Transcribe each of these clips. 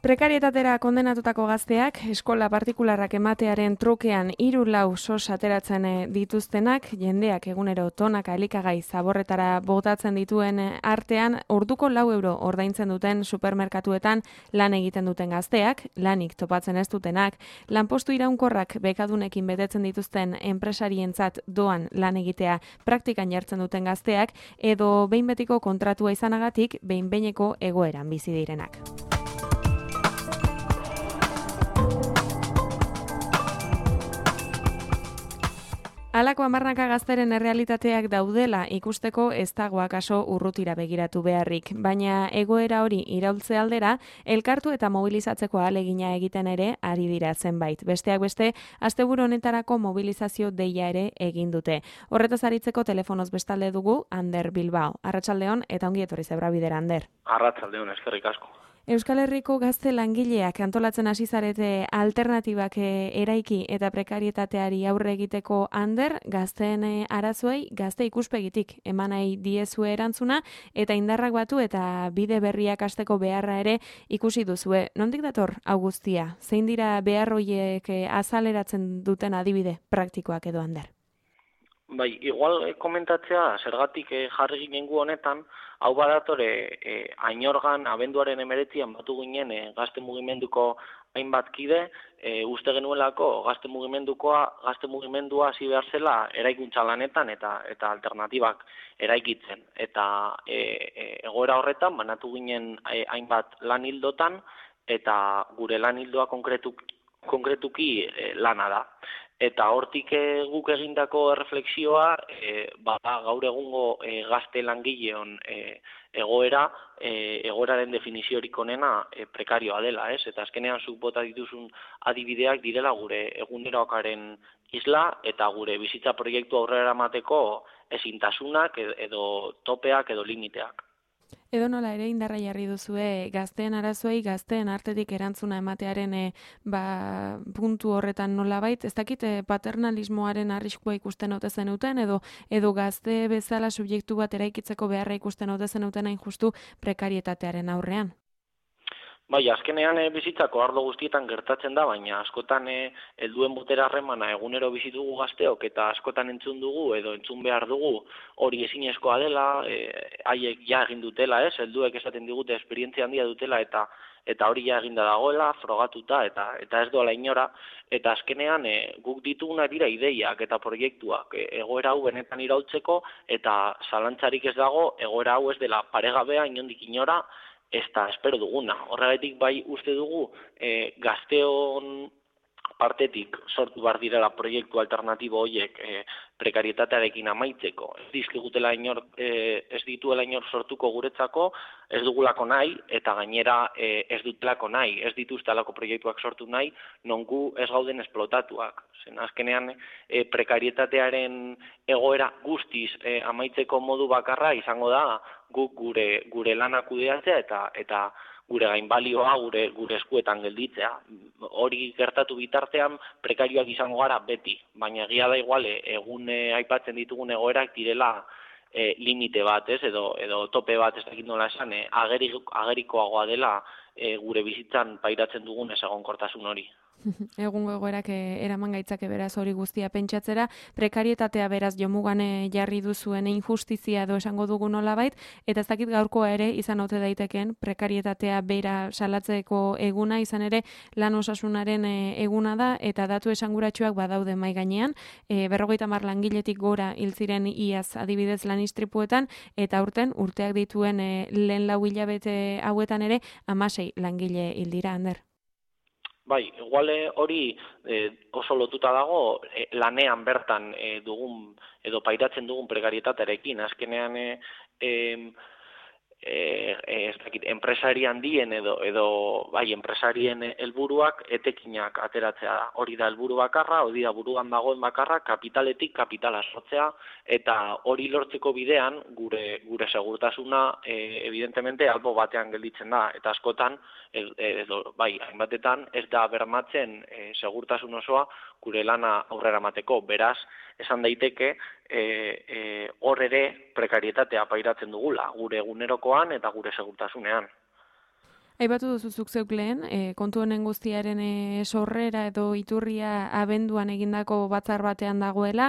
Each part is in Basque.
Prekarietatera kondenatutako gazteak, eskola partikularrak ematearen trukean 3-4 sos ateratzen dituztenak, jendeak egunero tonaka elikagai zaborretara botatzen dituen artean, orduko 4 euro ordaintzen duten supermerkatuetan lan egiten duten gazteak, lanik topatzen ez dutenak, lanpostu iraunkorrak bekadunekin betetzen dituzten enpresarientzat doan lan egitea praktikan jartzen duten gazteak, edo behin betiko kontratua izanagatik behin-behineko egoeran bizi direnak. Halako hamarnaka gazteren errealitateak daudela ikusteko ez dago akaso urrutira begiratu beharrik, baina egoera hori iraultze aldera, elkartu eta mobilizatzeko ahalegina egiten ere ari dira zenbait. Besteak beste, asteburu honetarako mobilizazio deia ere egin dute. Horretaz aritzeko telefonoz bestalde dugu Ander Bilbao. Arratsaldeon eta ongi etorri Zebrabidera, Ander. Arratsaldeon, eskerrik asko. Euskal Herriko gazte langileak antolatzen hasi zarete alternatibak eraiki eta prekarietateari aurre egiteko, Ander, gazteen arazoei gazte ikuspegitik eman nahi diezue erantzuna eta indarrak batu eta bide berriak hasteko beharra ere ikusi duzue. Nondik dator hau guztia? Zein dira behar horiek azaleratzen duten adibide praktikoak edo, Ander? Bai, igual komentatzea zergatik jarri ginen gu honetan, hau badatore ainorgan abenduaren 19an batu ginen gazte mugimenduko hainbat kide, uste genuelako gazte mugimendua hasi behar zela eraikuntza lanetan eta alternatibak eraikitzen. Eta egoera horretan banatu ginen hainbat lan hildotan eta gure lan hildoa konkretuki lana da. Eta hortik guk egindako erreflexioa, gaur egungo gazte langileon egoeraren definiziorik onena prekarioa dela, ez? Eta azkenean zuk bota dituzun adibideak direla gure egunerokaren isla eta gure bizitza proiektu aurrera eramateko ezintasunak edo topeak edo limiteak. Edo nola ere indarra jarri duzue gazteen arazoei, gazteen artetik erantzuna ematearen puntu horretan nolabait, ez dakit paternalismoaren arriskua ikusten ote zenuten edo gazte bezala subjektu bat eraikitzeko beharra ikusten ote zenuten hain justu prekarietatearen aurrean. Bai, azkenean bizitzako arlo guztietan gertatzen da, baina askotan helduen botera harremana egunero bizi dugu gazteok eta askotan entzun dugu edo entzun behar dugu hori ezinezkoa dela, haiek ja egin dutela, ez? Helduek esaten digute esperientzia handia dutela eta hori ja eginda dagoela, frogatuta eta ez doala inora, eta azkenean guk dituguna dira ideiak eta proiektuak egoera hau benetan iraultzeko eta zalantzarik ez dago egoera hau ez dela paregabea inondik inora, ez da espero duguna. Horregatik bai uste dugu gazteon partetik sortu behar direla proiektu alternatibo horiek prekarietatearekin amaitzeko. Ez dituela inor sortuko guretzako, ez dugulako nahi eta gainera ez dutelako nahi, ez dituztelako proiektuak sortu nahi, non gu ez gauden esplotatuak. Zen azkenean prekarietatearen egoera guztiz amaitzeko modu bakarra izango da guk gure lana kudeatzea eta gure gainbalioa gure eskuetan gelditzea. Hori gertatu bitartean prekarioak izango gara beti, baina egia da igual egun aipatzen ditugun egoerak direla limite bat, ez, edo tope bat, ez dakit nola esan, agerikoagoa dela gure bizitzan pairatzen dugun ezegonkortasun hori. Egungo egoerak eraman gaitzake beraz hori guztia pentsatzera, prekarietatea beraz jomugan jarri duzuen injustizia edo esango dugu nolabait, eta ez dakit gaurkoa ere izan ote daiteken prekarietatea bera salatzeko eguna, izan ere lan osasunaren eguna da, eta datu esanguratsuak badaude mai gainean, 50 langiletik gora hil ziren iaz adibidez lan istripuetan, eta aurten urteak dituen lehen 4 hilabete hauetan ere 16 langile hil dira, Ander. Bai, igual hori oso lotuta dago lanean bertan dugun edo pairatzen dugun prekarietatearekin. Azkenean ez dakit, enpresari handien edo bai, enpresarien helburuak etekinak ateratzea da. Hori da helburu bakarra, hori da buruan dagoen bakarra, kapitaletik kapitala sortzea, eta hori lortzeko bidean gure segurtasuna evidentemente albo batean gelditzen da, eta askotan bai, hainbatetan ez da bermatzen segurtasun osoa gure lana aurrera emateko. Beraz, esan daiteke hor ere prekarietatea pairatzen dugula, gure egunerokoan eta gure segurtasunean. Aipatu duzu zuk zeuk lehen, kontu honen guztiaren sorrera edo iturria abenduan egindako batzar batean dagoela,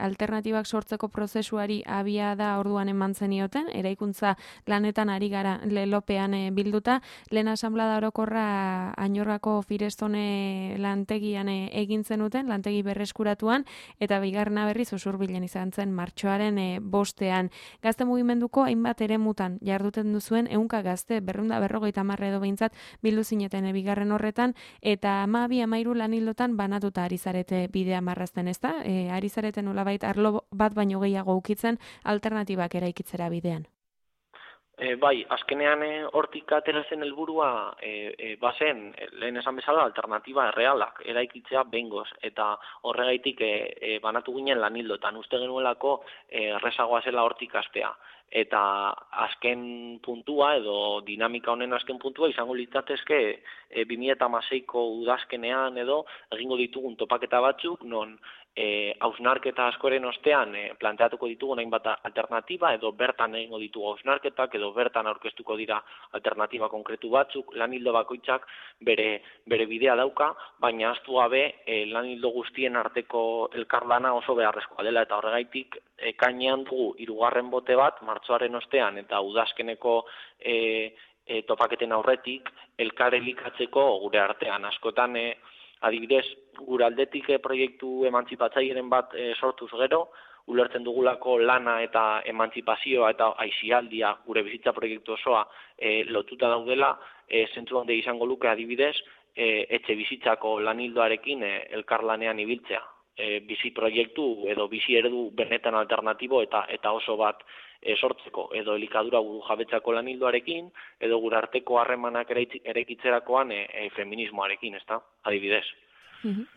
alternatibak sortzeko prozesuari abia da orduan eman zenioten, eraikuntza lanetan ari gara lelopean bilduta, lehen asanblada orokorra Añorgako Firestone lantegian egin zenuten, lantegi berreskuratuan, eta bigarrena berriz Usurbilen izan zen martxoaren bostean. Gazte mugimenduko hainbat eremutan jarduten duzuen ehunka gazte, 250 edo behintzat bildu zineten bigarren horretan, eta 12-13 lanildotan banatuta ari zarete bidea marrazten, ezta? Ari zarete nolabait arlo bat baino gehiago ukitzen alternatibak eraikitzera bidean. Bai, azkenean hortik atera zen helburua bazen, lehen esan bezala, alternatiba errealak eraikitzea behingoz, eta horregaitik banatu ginen lanildotan, uste genuelako errezagoa zela hortik astea. Eta azken puntua edo dinamika honen azken puntua izango litzatezke 2016ko udazkenean edo egingo ditugun topaketa batzuk non hausnarketa askoren ostean planteatuko ditugu hainbat alternatiba edo bertan egingo ditugu hausnarketak edo bertan aurkeztuko dira alternatiba konkretu batzuk, lanildo bakoitzak bere bidea dauka, baina ahaztu gabe lanildo guztien arteko elkarlana oso beharrezkoa dela eta horregaitik ekainean dugu 3. bote bat martxoaren ostean eta udazkeneko topaketen aurretik elkar elikatzeko gure artean askotan adibidez, gure aldetik proiektu emantzipatzaileren bat sortuz gero, ulertzen dugulako lana eta emantzipazioa eta aisialdia gure bizitza proiektu osoa lotuta daudela, zentzu handi izango luke adibidez, etxe bizitzako lanildoarekin elkarlanean ibiltzea. Bizi proiektu edo bizi eredu benetan alternatibo eta oso bat sortzeko edo elikadura burujabetzako lanildoarekin edo gure arteko harremanak eraikitzerakoan feminismoarekin, ezta? Adibidez.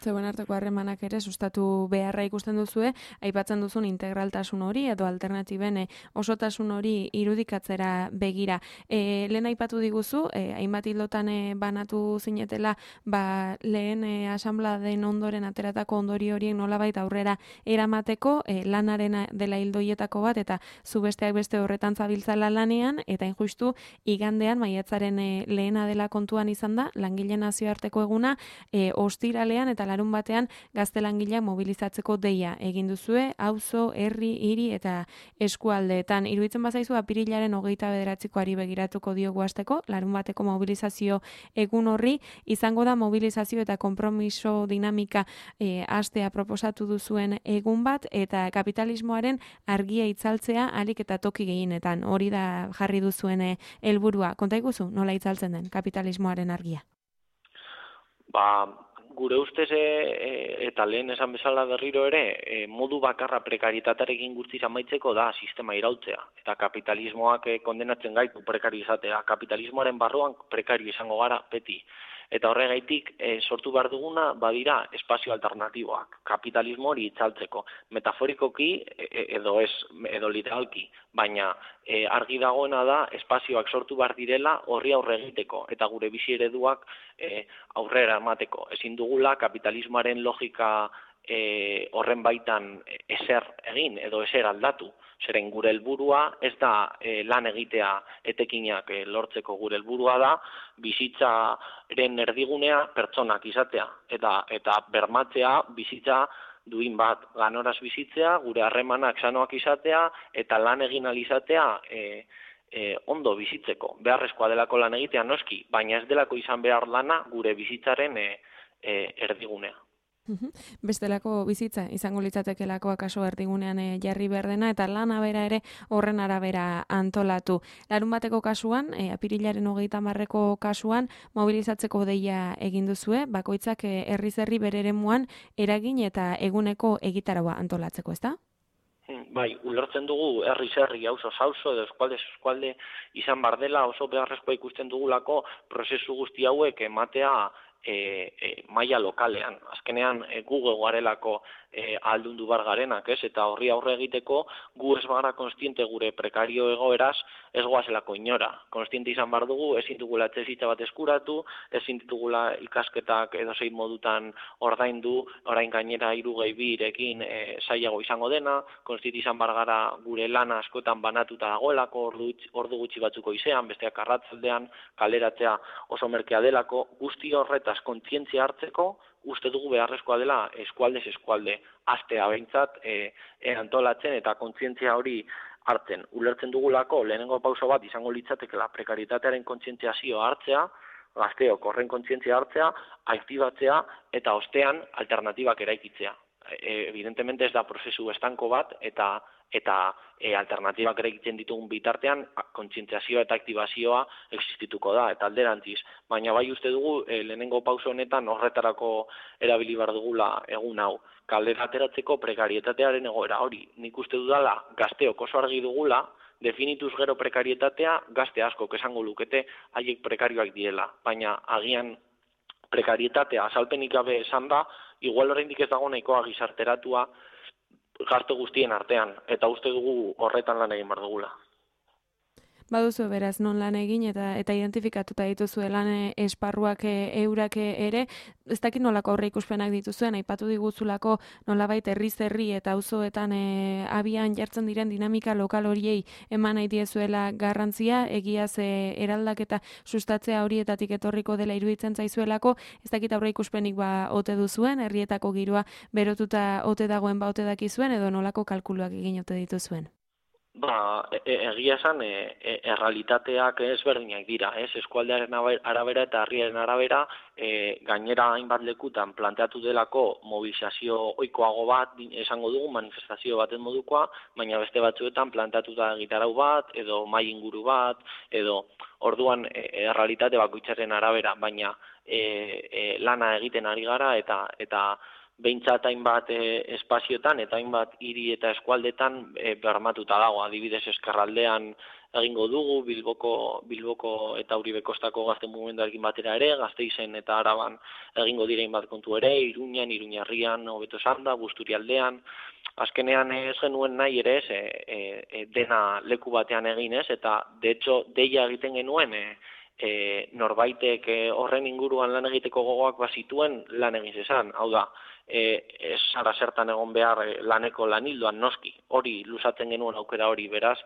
Zeuen arteko harremanak ere sustatu beharra ikusten duzue, aipatzen duzun integraltasun hori edo alternatiben osotasun hori irudikatzera begira. Lehen aipatu diguzu, hainbat hildotan banatu zinetela, lehen asanbladen ondoren ateratako ondori horiek nolabait aurrera eramateko, lanaren dela hildoietako bat, eta zu besteak beste horretan zabiltzala lanean, eta injustu igandean maiatzaren lehena dela kontuan izan da, langileen nazioarteko eguna, ostiralean eta larun batean gazte langileak mobilizatzeko deia egin duzue, auzo, herri, hiri eta eskualdeetan. Iruditzen bazaizu apirilaren 29koari begiratuko diogu hasteko, larun bateko mobilizazio egun horri, izango da mobilizazio eta konpromiso dinamika hastea proposatu duzuen egun bat, eta kapitalismoaren argia itzaltzea ahalik eta toki gehienetan. Hori da jarri duzuen helburua. Konta iguzu, nola itzaltzen den kapitalismoaren argia? Gure ustez eta lehen esan bezala berriro ere, modu bakarra prekarietatearekin guztiz amaitzeko da sistema iraultzea. Eta kapitalismoak kondenatzen gaitu prekarizatea. Kapitalismoaren barruan prekario izango gara beti. Eta horregaitik sortu behar duguna badira espazio alternatiboak, kapitalismo hori itzaltzeko. Metaforikoki edo literalki, baina argi dagoena da espazioak sortu behar direla horri aurre egiteko eta gure bizi ereduak aurrera emateko. Ezin dugula kapitalismoaren logika horren baitan ezer egin edo ezer aldatu. Zeren gure helburua ez da lan egitea etekinak lortzeko, gure helburua da bizitzaren erdigunea pertsonak izatea eta bermatzea bizitza duin bat, ganoraz bizitzea, gure harremanak sanoak izatea eta lan egin ahal izatea ondo bizitzeko. Beharrezkoa delako lan egitea noski, baina ez delako izan behar lana gure bizitzaren erdigunea. Bestelako bizitza izango litzatekelako akaso erdigunean jarri behar dena eta lana bera ere horren arabera antolatu. Larun bateko kasuan, apirilaren 30ko kasuan, mobilizatzeko deia egin duzue, bakoitzak herriz herri bere eremuan eragin eta eguneko egitaraua antolatzeko, ezta? Bai, ulertzen dugu herriz herri, auzoz auzo edo eskualde izan bar dela oso beharrezkoa ikusten dugulako prozesu guzti hauek ematea maila lokalean. Azkenean gu garelako ahaldundu bar garenak, ez? Eta horri aurre egiteko gu ez bagara kontziente gure prekario egoeraz ez goazelako inora. Kontziente izan bar dugu, ezin dugula etxebizitza bat eskuratu, ezin ditugula ikasketak edozein modutan ordaindu, orain gainera 3-2-2rekin zailago izango dena, kontziente izan bar gara gure lana askotan banatuta dagoelako, ordu gutxi batzuko izean, besteak arratzaldean, kaleratzea oso merkea delako, guzti horretaz kontzientzia hartzeko, uste dugu beharrezkoa dela eskualdez eskualde, astea behintzat antolatzen eta kontzientzia hori hartzen. Ulertzen dugulako lehenengo pauso bat izango litzatekela prekaritatearen kontzientziazioa hartzea, gazteok horren kontzientzia hartzea, aktibatzea eta ostean alternatibak eraikitzea. Evidentemente ez da prozesu estanko bat eta alternatibak eraikitzen ditugun bitartean kontzientziazioa eta aktibazioa existituko da eta alderantziz. Baina bai uste dugu lehenengo pauso honetan horretarako erabili behar dugula egun hau. Kalera ateratzeko prekarietatearen egoera hori. Nik uste dudala gazteok oso argi dugula, definituz gero prekarietatea gazte askok esango lukete haiek prekarioak direla. Baina agian prekarietatea azalpenik gabe esan da, igual oraindik ez dago nahikoa gizarteratua gazte guztien artean, eta uste dugu horretan lan egin behar dugula. Baduzu beraz non lan egin eta identifikatuta dituzue lan esparruak eurak ere, ez dakit nolako aurre ikuspenak dituzuen, aipatu diguzulako nolabait herriz herri eta auzoetan abian jartzen diren dinamika lokal horiei eman nahi diezuela garrantzia, egiaz eraldaketa sustatzea horietatik etorriko dela iruditzen zaizuelako, ez dakit aurre ikuspenik ote duzuen, herrietako giroa berotuta ote dagoen ote dakizuen edo nolako kalkuluak egin ote dituzuen. Egia esan, errealitateak ezberdinak dira, eskualdearen arabera eta herriaren arabera, gainera hainbat lekutan planteatu delako mobilizazio ohikoago bat, esango dugu, manifestazio baten modukoa, baina beste batzuetan planteatuta egitarau bat, edo mahai inguru bat, edo orduan errealitate bakoitzaren arabera, baina lana egiten ari gara eta behintzat hainbat espazioetan eta hainbat hiri eta eskualdetan bermatuta dago. Adibidez Ezkerraldean egingo dugu, Bilboko eta Uribe Kostako gazte mugimenduarekin batera ere, Gasteizen eta Araban egingo dira hainbat kontu ere, Iruñan, Iruñarrian, hobeto esanda, Busturialdean. Azkenean ez genuen nahi ere dena leku batean egin eta de hecho deia egiten genuen norbaitek horren inguruan lan egiteko gogoak bazituen lan egin zezan. Hau da, ez zara zertan egon behar laneko lanildoan noski, hori luzatzen genuen aukera hori, beraz,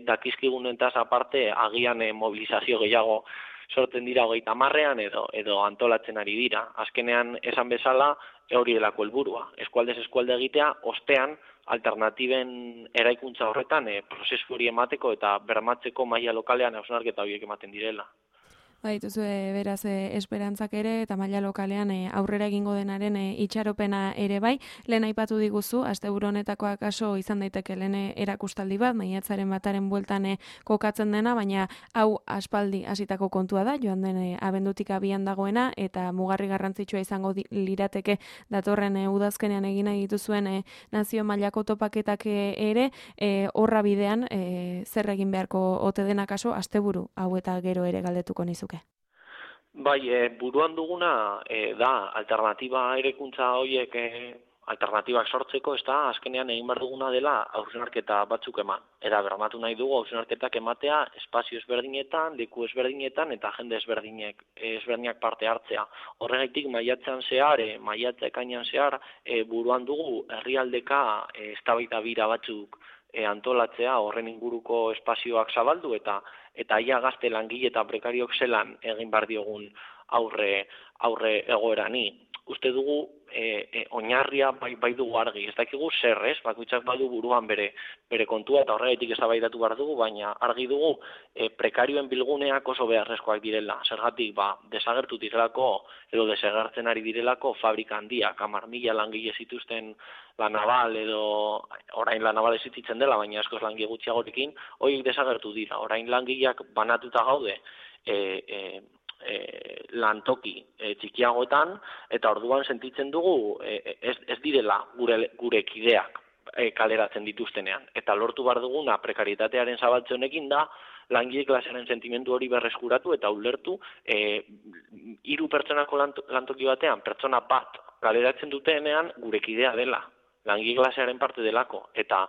dakizkigunentaz aparte agian mobilizazio gehiago sortzen dira 30ean edo antolatzen ari dira. Azkenean esan bezala hori delako helburua, eskualdez eskualde egitea, ostean alternatiben eraikuntza horretan prozesu hori emateko eta bermatzeko maila lokalean hausnarketa horiek ematen direla. Baituzu beraz esperantzak ere eta maila lokalean aurrera egingo denaren itxaropena ere bai. Lehen aipatu diguzu, asteburu honetako akaso izan daiteke lehen erakustaldi bat, maiatzaren bataren bueltan kokatzen dena, baina hau aspaldi hasitako kontua da, joan den abendutik abian dagoena, eta mugarri garrantzitsua izango lirateke datorren udazkenean egin nahi dituzuen nazio mailako topaketak ere, horra bidean zer egin beharko ote den akaso asteburu hau eta gero ere galdetuko nizuke. Bai, buruan duguna da alternatiba erekuntza horiek alternatibak sortzeko, ez da, azkenean egin behar duguna dela hausnarketa batzuk eman. Eta bermatu nahi dugu hausnarketak ematea espazio ezberdinetan, leku ezberdinetan eta jende ezberdinak parte hartzea. Horregaitik maiatzean zehar, ekainean zehar, buruan dugu herrialdeka eztabaida bira batzuk antolatzea, horren inguruko espazioak zabaldu eta ia gazte langile eta prekariok zelan egin behar diogun aurre egoerani. Uste dugu oinarria bai dugu argi, ez dakigu zer, bakoitzak badu buruan bere kontua eta horregatik eztabaidatu behar dugu, baina argi dugu prekarioen bilguneak oso beharrezkoak direla. Zergatik desagertu direlako edo desagertzen ari direlako fabrika handiak, 10.000 langile zituzten La Naval edo orain La Naval existitzen dela, baina askoz langile gutxiagorekin, horiek desagertu dira. Orain langileak banatuta gaude lantoki txikiagoetan eta orduan sentitzen dugu ez direla gure kideak kaleratzen dituztenean. Eta lortu behar duguna prekarietatearen zabaltze honekin da langile klasearen sentimendu hori berreskuratu eta ulertu 3 pertsonako lantoki batean pertsona bat kaleratzen dutenean gure kidea dela. langile klasearen parte delako, eta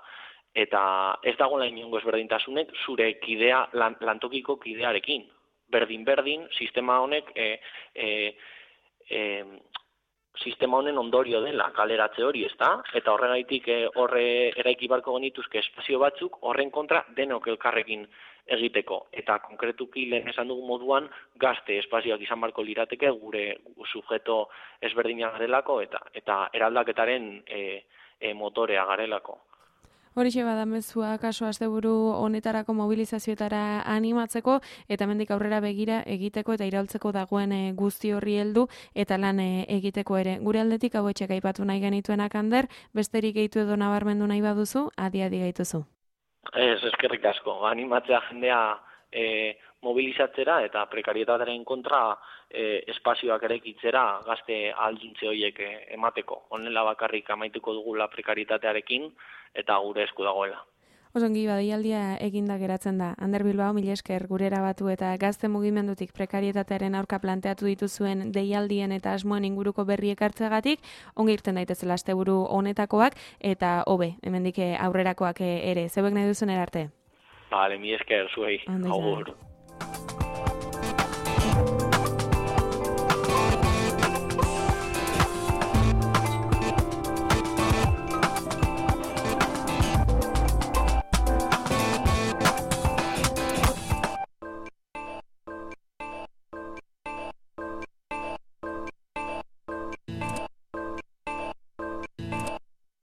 ez dagoela inongo ezberdintasunek zure kidea, lantokiko kidearekin. Berdin, sistema honek sistema honen ondorio dela kaleratze hori, ezta? Eta horregaitik horre eraiki barko genituzke espazio batzuk horren kontra denok elkarrekin egiteko. Eta konkretuki lehen esan dugu moduan gazte espazioak izan barko lirateke gure subjeto ezberdinak garelako eta eraldaketaren motorea garelako. Horixe bada mezua kaso asteburu honetarako mobilizazioetara animatzeko eta hemendik aurrera begira egiteko eta iraultzeko dagoen guzti horri heldu eta lan egiteko ere. Gure aldetik hauetxek aipatu nahi genituenak Ander, besterik gehitu edo nabarmendu nahi baduzu, adi gaituzu. Ez, eskerrik asko, animatzea jendea mobilizatzera eta prekarietatearen kontra espazioak eraikitzera gazte ahalduntze horiek emateko. Honela bakarrik amaituko dugula prekarietatearekin eta gure esku dagoela. Osongi, deialdia eginda geratzen da. Ander Bilbao, mila esker gurera batu eta gazte mugimendutik prekarietatearen aurka planteatu dituzuen deialdien eta asmoen inguruko berriek hartzeagatik, ongi irten daitezela asteburu honetakoak eta hobe, hemendik aurrerakoak ere. Zeuek nahi duzen erarte? Bale, mila esker zuei. Agur.